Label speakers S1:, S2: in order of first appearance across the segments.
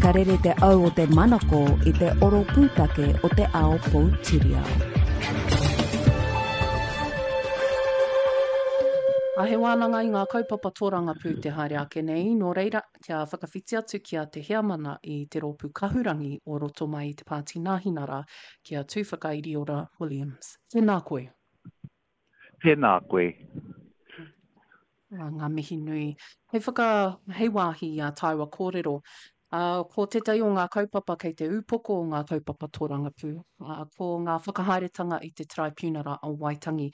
S1: Ka rere te au o te manako i te oro pūtake o te ao poutiriao.
S2: A he wānanga i ngā kaupapa tōrangapū te haere ake nei, nō reira, kia whakawhiti atu ki a Te Heamana i te Rōpū Kahurangi o roto mai i te Pāti Nāhinara, ki a Tūwhakairiora Williams. Tēnā koe.
S3: Tēnā koe.
S2: Ā, ngā mihi nui. Hei whaka, hei wāhi i ā tāua kōrero, ā, ko tētahi o ngā kaupapa kei te ūpoko o ngā kaupapa tōrangapū, ā, ko ngā whakahaeretanga i te Taraipiunara o Waitangi.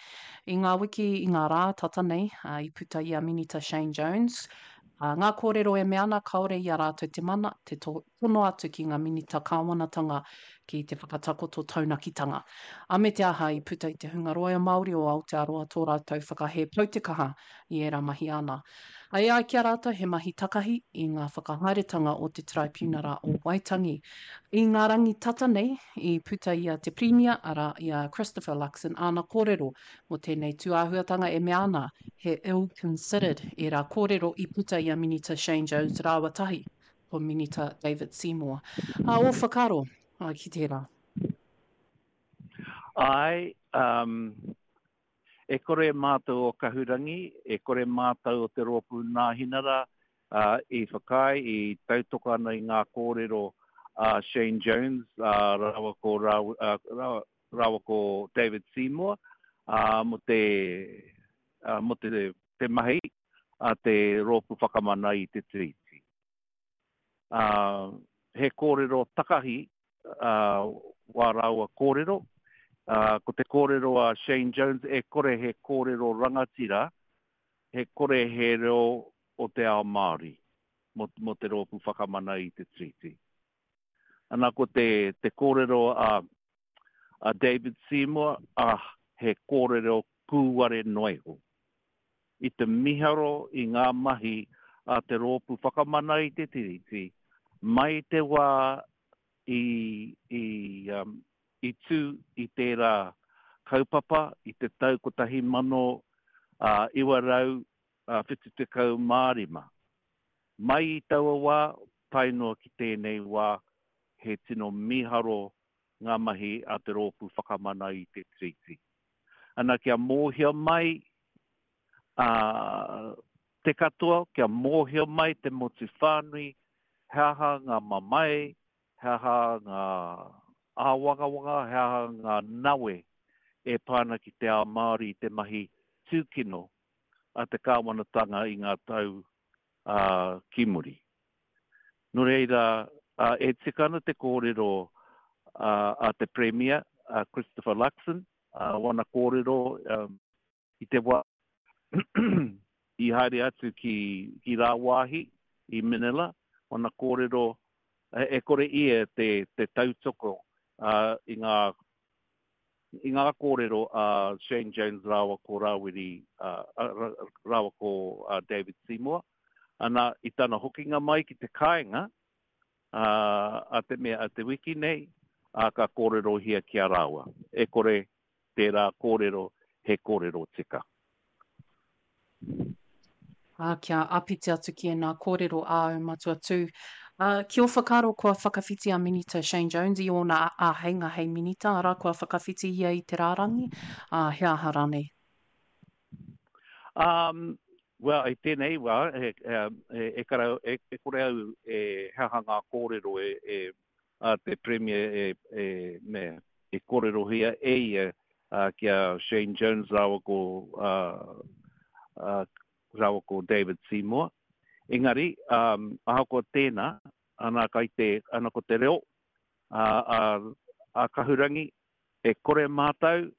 S2: I ngā wiki, i ngā rā tata nei, ā, i puta i a Minita Shane Jones, ā, ngā kōrero e mea ana kāore i a rātou te mana, te tono atu ki ngā Minita Kāwanatanga ki te whakatakoto taunakitanga. A me te aha i puta i te hunga roia Māori o Aotearoa tō rātou whakahē poutekaha i ērā mahi āna. A e ai ki a rātou he mahi takahi i ngā whakahaeretanga o te Taraipiunara o Waitangi. I ngā rangi tata nei i puta i a te Pirimia, arā, i a Christopher Luxon āna kōrero mō tēnei tūāhuatanga e mea ana he ill-considered ērā kōrero i puta i a Minita Shane Jones rāua tahi ko Minita David Seymour. Ā, ō whakaaro ki tērā?
S3: Āe, um, e kore mātou o Kahurangi, e kore mātou o te Rōpū Nāhinara uh, i whakaae, i tautoko ana i ngā kōrero a Shane Jones uh, rāua ko, rāua, uh, rāua ko David Seymour uh, mō te, uh, mō te, te mahi a te Rōpū Whakamana i te Tiriti. Ā, he kōrero takahi wā rāua kōrero. Ā, ko te kōrero a Shane Jones, e kore he kōrero rangatira, he kore he reo o te ao Māori mō, mō te Rōpū Whakamana i te Tiriti. Ana ko te, te kōrero a, a David Seymour, ah, he kōrero kūware noa iho. I te miharo i ngā mahi a te Rōpū Whakamana i te Tiriti, mai te wā i, i, um, i tū i tērā kaupapa i te tau 1975. Mai i taua wā, tae noa ki tēnei wā, he tino miharo ngā mahi a te Rōpū Whakamana i te Tiriti. Ana kia mōhio mai a te katoa, kia mōhio mai te motu whānui he aha ngā mamae, he aha ngā āwangawanga, he aha ngā nawe e pā ana ki te ao Māori i te mahi tūkino a te kāwanatanga i ngā tau ki muri. Nō reira, e tika ana te kōrero a te Premia, a Christopher Luxon, wana kōrero i te wā i haere atu ki rāwāhi i Manila, wana kōrero e kore ia te tautoko i ngā i ngā kōrero a Shane Jones rāua ko Rāwiri, rāua ko David Seymour, ana, i tana hokinga mai ki te kāinga, a te mea, a te wiki nei, ā, ka kōrerohia ki a rāua. E kore tērā kōrero he kōrero tika.
S2: Ā, kia āpiti atu ki ēnā kōrero āu Matua Tū. Ā, ki ō whakaaro kua whakawhiti a Minita Shane Jones i ōna āheinga hei Minita, arā, kua whakawhiti ia i te rārangi, ā, he aha rānei?
S3: Um, well, i tēnei wā, e, e, e, kara, e, e kore au e he aha ngā kōrero e, e, a te Premier e, e, me, e kōrerohia e ia ki a Shane Jones rāua ko, rāua ko David Seymour. Engari, um, ahakoa tēnā, ana, kai te, ana ko te reo a, a, a Kahurangi, e kore mātou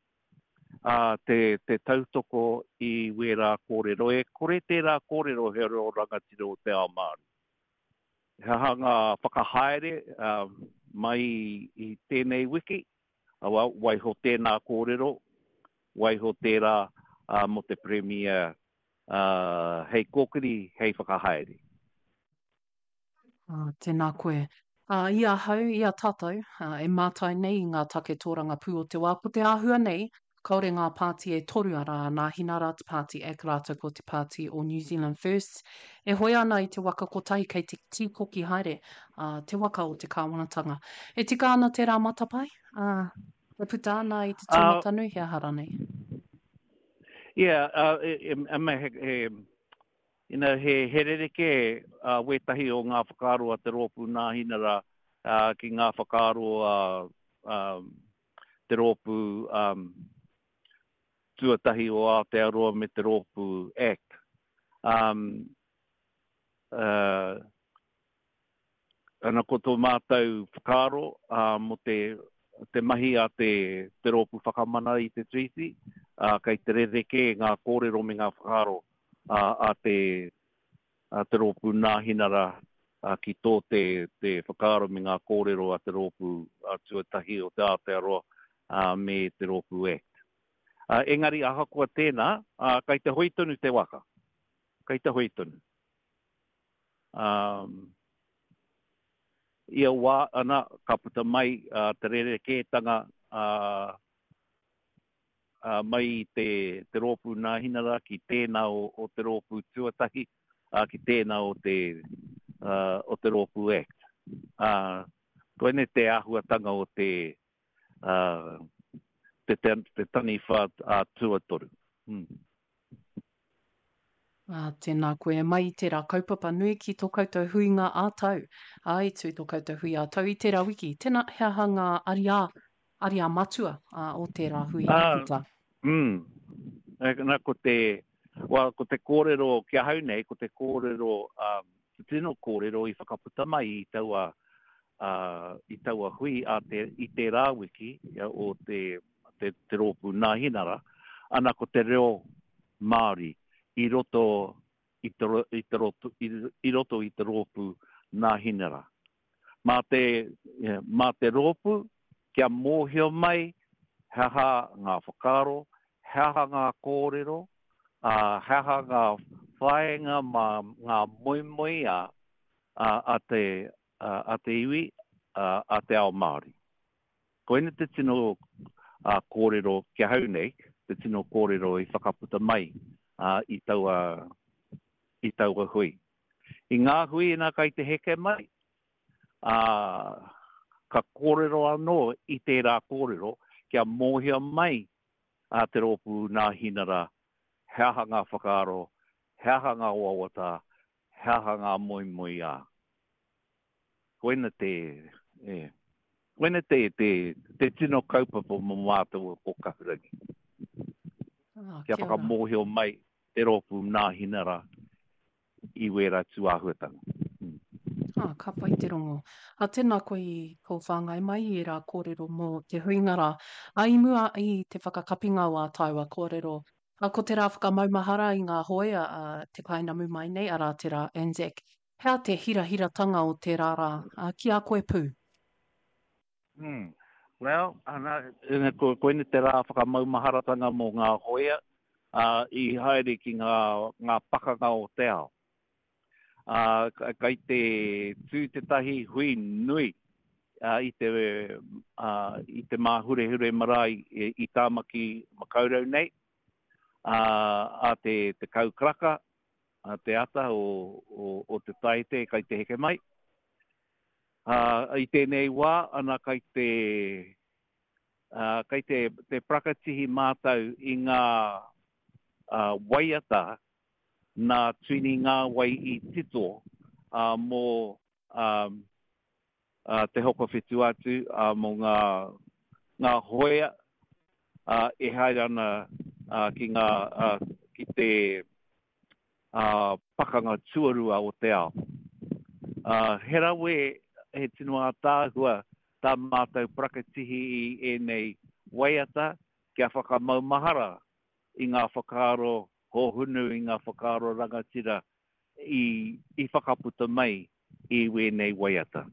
S3: a, te, te tautoko i wērā kōrero. E kore tērā kōrero he reo rangatira o te ao Māori. He aha ngā whakahaere mai i tēnei wiki? Well, waiho tēnā kōrero, waiho tērā mō te Premier hei kōkiri, hei whakahaere.
S2: Tēnā koe. I ahau, i a tātou, e mātai nei i ngā take tōrangapū o te wā, ko te āhua nei, Kāore ngā pāti e toru, arā, a Nāhinara, te pāti act rātou ko te pāti o New Zealand First, e hoe ana i te waka kotahi kei te tīkoki haere ā, te waka o te kāwanatanga. E tika ana tērā matapae, ā, e puta ana i te tūmatanui, he aha rānei?
S3: Yeah, uh, e, e, e, he, he, you know, he, he rerekē uh, wētahi o ngā whakaaro a te rōpū Nāhinara uh, ki ngā whakaaro a uh, um, te rōpū um, tuatahi o Aotearoa me te rōpū ACT. Um, uh, ana ko tō mātou whakaaro uh, mō te, te mahi a te, te rōpū whakamana i te Treaty, uh, kei te rerekē ngā kōrero me ngā whakaaro uh, a te, a te rōpū Nāhinara ki tō te, te whakaaro me ngā kōrero a te rōpū tuatahi o te Aotearoa me te rōpū act. Engari ahakoa tēnā, kei te hoe tonu te waka. Kei te hoe tonu. Ia wā, ana, ka puta mai te rerekētanga ā, mai i te, te rōpū Nāhinara ki tēnā o, o te rōpū tuatahi, ā, ki tēnā o te, ā, o te rōpū act. Ā, koinei te āhuatanga o te, ā, te, te, te taniwha ā, tuatoru. Mm.
S2: Ā, tēnā koe. Mai i tērā kaupapa nui ki tō koutou huinga ā-tau. Ā, i tū tō koutou hui ā-tau i tērā wiki. Tēnā, he aha ngā ariā, ariā matua, ā, o tērā hui i puta?
S3: Ā, mm. Nā, ko te, well, ko te kōrero ki ahau nei, ko te kōrero, ā, te tino kōrero i whakaputa mai i taua, ā, i taua hui a te, i tērā wiki o te, te, te rōpū Nāhinara, ana ko te reo Māori i roto i te, i te, roto, i, i roto i te rōpū Nāhinara. Mā te, mā te rōpū kia mōhio mai he aha ngā whakaaro, he aha ngā kōrero, ā, he aha ngā whāinga mā ngā moemoeā a, a te, a, a te iwi, a, a te ao Māori. Koina te tino kōrero ki ahau nei, te tino kōrero i whakaputa mai i taua, i taua hui. I ngā hui ina kai te heke mai, ā, ka kōrero anō i tērā kōrero kia mōhio mai a Te Rōpū Nāhinara he aha ngā whakaaro, he aha ngā wawata, he aha ngā moemoeā. Koina te, e, koina te, te, te tino kaupapa mō mātou o Kahurangi. Ah, kia whakamōhio mai te rōpū Nāhinara i wērā tūāhuatanga.
S2: Mm. Ah, ka pai te rongo. A, tēnā koe i tō whāngai mai i ērā kōrero mō te huinga rā. A, i mua i te whakakapinga o ā tāua kōrero, a, ko te rā whakamaumahara i ngā hōia a te kainamu mai nei, arā te rā Anzac. He aha te hirahiratanga o tērā rā, ā, ki a koe pū?
S3: Mm. Well, ana, ko, koinei te rā whakamaumaharatanga mō ngā hōia, ā, i haere ki ngā, ngā pakanga o te ao. Ā, kai te tū tētahi hui nui ā, i te, ā, i te Māhurehure marae i, i Tāmaki Makaurau nei, ā, ā te 10 karaka, a te ata o, o, o te taete kai te heke mai. Ā, i tēnei wā, ana kai te, ā, kai te, te parakatihi mātau i ngā ā, waiata nā Tuini Ngāwai i tito ā, mō ā, ā, Te Hokowhitu-a-Tū, ā, mō ngā, ngā hoea ā, e haere ana ā, ki ngā, ā, ki te ā, pakanga tuarua o te ao. Ā, he rawe, he tino ātaahua tā mātou parakatihi i ēnei waiata kia whakamaumahara i ngā whakaaro hōhunu, i ngā whakaaro rangatira i, i whakaputa mai i wēnei waiata.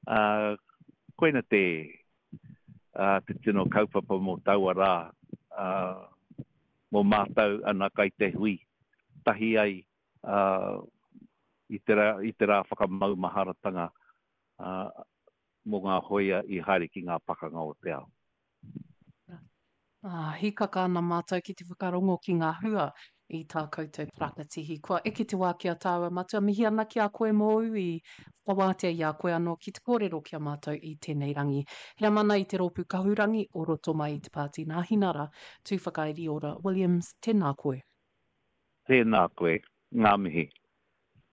S3: Ā, koina te, ā, te tino kaupapa mō taua rā, ā, mō mātou ana kai te hui tahi ai, ā, i te rā, i te rā whakamaumaharatanga, ā, mō ngā hōia i haere ki ngā pakanga o te ao.
S2: Ā, hīkaka ana mātou ki te whakarongo ki ngā hua i tā koutou parakatihi. Kua eke te wā ki a tāua matua, mihi ana ki a koe mōu i whakawātea i a koe anō ki te kōrero ki a mātou i tēnei rangi. Heamana i te Rōpū Kahurangi o roto mai i te Pāti Nāhinara, Tūwhakairiora Williams, tēnā koe.
S3: Tēnā koe. Ngā mihi.